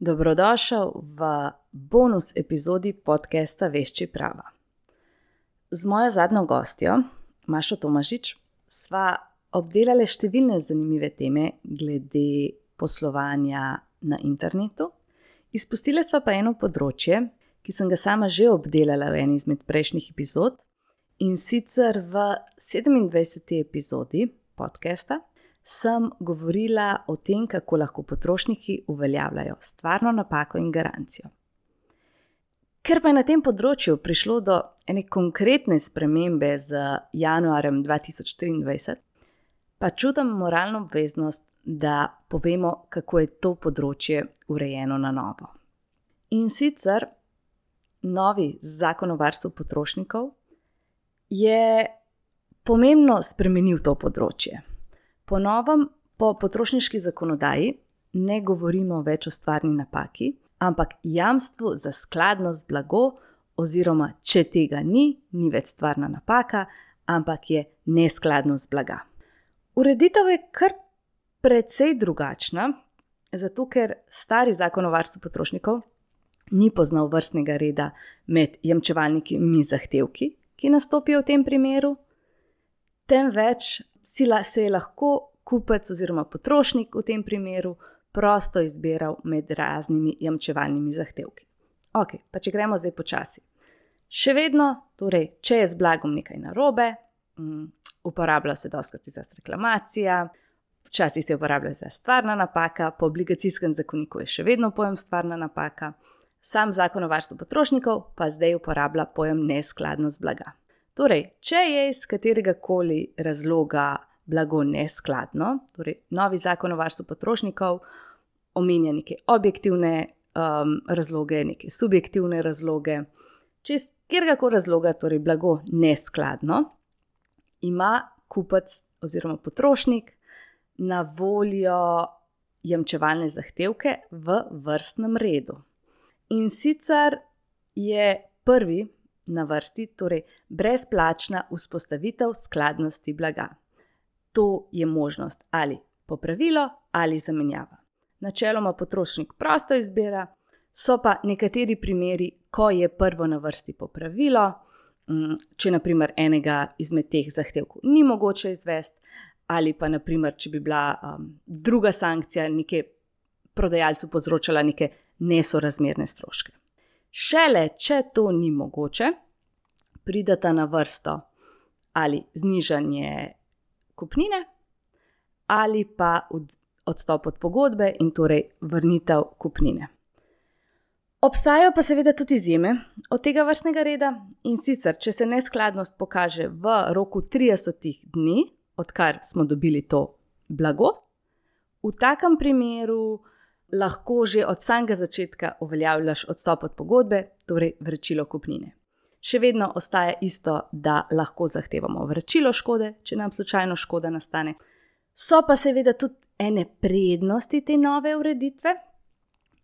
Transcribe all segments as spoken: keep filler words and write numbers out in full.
Dobrodošel v bonus epizodi podcasta Vešči prava. Z mojo zadnjo gostjo, Mašo Tomažič, sva obdelali številne zanimive teme glede poslovanja na internetu. Izpustili sva pa eno področje, ki sem ga sama že obdelala v eni izmed prejšnjih epizod, in sicer v sedemindvajseti epizodi podcasta sem govorila o tem, kako lahko potrošniki uveljavljajo stvarno napako in garancijo. Ker pa je na tem področju prišlo do ene konkretne spremembe z januarjem dva tisoč triindvajset, pa čutim moralno obveznost, da povemo, kako je to področje urejeno na novo. In sicer novi zakon o varstvu potrošnikov je pomembno spremenil to področje. Po novem, po potrošniški zakonodaji ne govorimo več o stvarni napaki, ampak jamstvu za skladnost blago oziroma če tega ni, ni več stvarna napaka, ampak je neskladnost blaga. Ureditev je kar precej drugačna, zato ker stari zakon o varstvu potrošnikov ni poznal vrstnega reda med jamčevalnimi zahtevki, ki nastopijo v tem primeru, temveč se je lahko kupec oziroma potrošnik v tem primeru prosto izbiral med raznimi jamčevalnimi zahtevki. Ok, pa če gremo zdaj počasi. Še vedno, torej, če je z blagom nekaj narobe, um, uporablja se dostikrat za reklamacija, včasih se uporablja za stvarna napaka, po obligacijskem zakoniku je še vedno pojem stvarna napaka, sam zakon o varstvu potrošnikov pa zdaj uporablja pojem neskladnost blaga. Torej, če je iz katerega koli razloga blago neskladno, torej novi zakon o varstvu potrošnikov omenja neke objektivne um, razloge, neke subjektivne razloge. Če iz katerega koli razloga, torej blago neskladno, ima kupec oziroma potrošnik na voljo jamčevalne zahtevke v vrstnem redu. In sicer je prvi na vrsti, torej brezplačna vzpostavitev skladnosti blaga. To je možnost ali popravilo ali zamenjava. Načeloma potrošnik prosto izbira, so pa nekateri primeri, ko je prvo na vrsti popravilo, če na primer enega izmed teh zahtevkov ni mogoče izvesti, ali pa na primer, če bi bila um, druga sankcija neke prodajalcu povzročala neke nesorazmerne stroške. Šele, če to ni mogoče, prideta na vrsto ali znižanje kupnine ali pa odstop od pogodbe in torej vrnitev kupnine. Obstajajo pa seveda tudi izjeme od tega vrstnega reda, in sicer, če se neskladnost pokaže v roku trideset dni, odkar smo dobili to blago, v takem primeru lahko že od samega začetka uveljavljaš odstop od pogodbe, torej vračilo kupnine. Še vedno ostaja isto, da lahko zahtevamo vračilo škode, če nam slučajno škoda nastane. So pa seveda tudi ene prednosti te nove ureditve,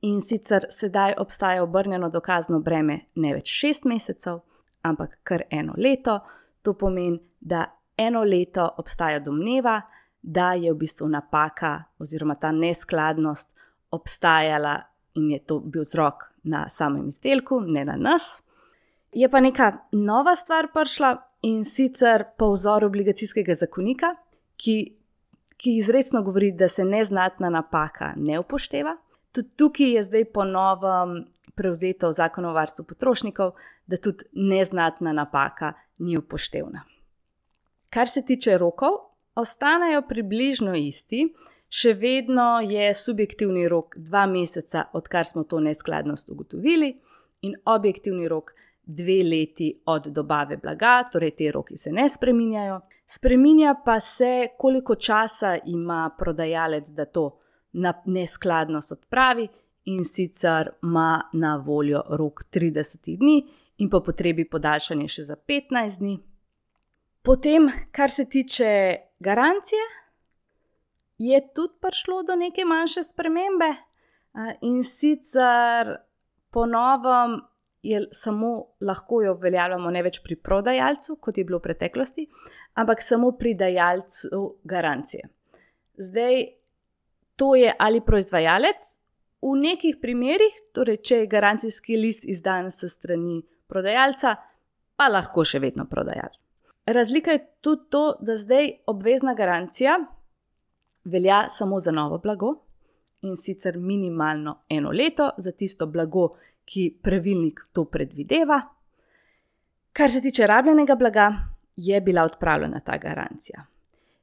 in sicer sedaj obstaja obrnjeno dokazno breme ne več šest mesecev, ampak kar eno leto. To pomeni, da eno leto obstaja domneva, da je v bistvu napaka oziroma ta neskladnost obstajala in je to bil vzrok na samem izdelku, ne na nas. Je pa neka nova stvar prišla, in sicer po vzoru obligacijskega zakonika, ki, ki izrecno govori, da se neznatna napaka ne upošteva. Tudi tukaj je zdaj po novem prevzeto v zakonu o varstvu potrošnikov, da tudi neznatna napaka ni upoštevna. Kar se tiče rokov, ostanejo približno isti. Še vedno je subjektivni rok dva meseca, odkar smo to neskladnost ugotovili, in objektivni rok dve leti od dobave blaga, torej te roki se ne spreminjajo. Spreminja pa se, koliko časa ima prodajalec, da to neskladnost odpravi, in sicer ima na voljo rok trideset dni in po potrebi podaljšanje še za petnajst dni. Potem, kar se tiče garancije, je tudi prišlo do neke manjše spremembe, in sicer po novem je samo lahko jo uveljavljamo ne več pri prodajalcu, kot je bilo v preteklosti, ampak samo pri dajalcu garancije. Zdaj, to je ali proizvajalec v nekih primerih, torej če je garancijski list izdan s strani prodajalca, pa lahko še vedno prodajalec. Razlika je tudi to, da zdaj obvezna garancija velja samo za novo blago in sicer minimalno eno leto za tisto blago, ki pravilnik to predvideva. Kar se tiče rabljenega blaga, je bila odpravljena ta garancija.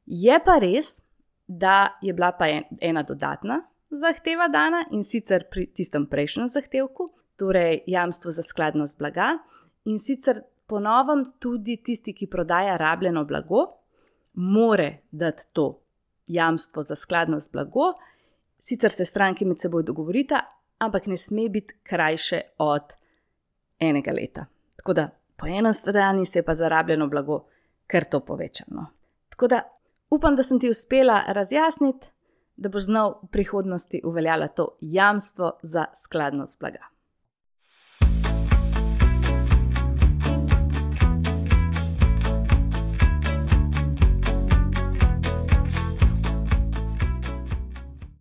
Je pa res, da je bila pa ena dodatna zahteva dana in sicer pri tistem prejšnjem zahtevku, torej jamstvo za skladnost blaga in sicer po novem tudi tisti, ki prodaja rabljeno blago, more dati to jamstvo za skladnost blago, sicer se stranki med seboj dogovorita, ampak ne sme biti krajše od enega leta. Tako da po eni strani se je pa za rabljeno blago kar to povečano. Tako da upam, da sem ti uspela razjasniti, da boš znal v prihodnosti uveljavljati to jamstvo za skladnost blaga.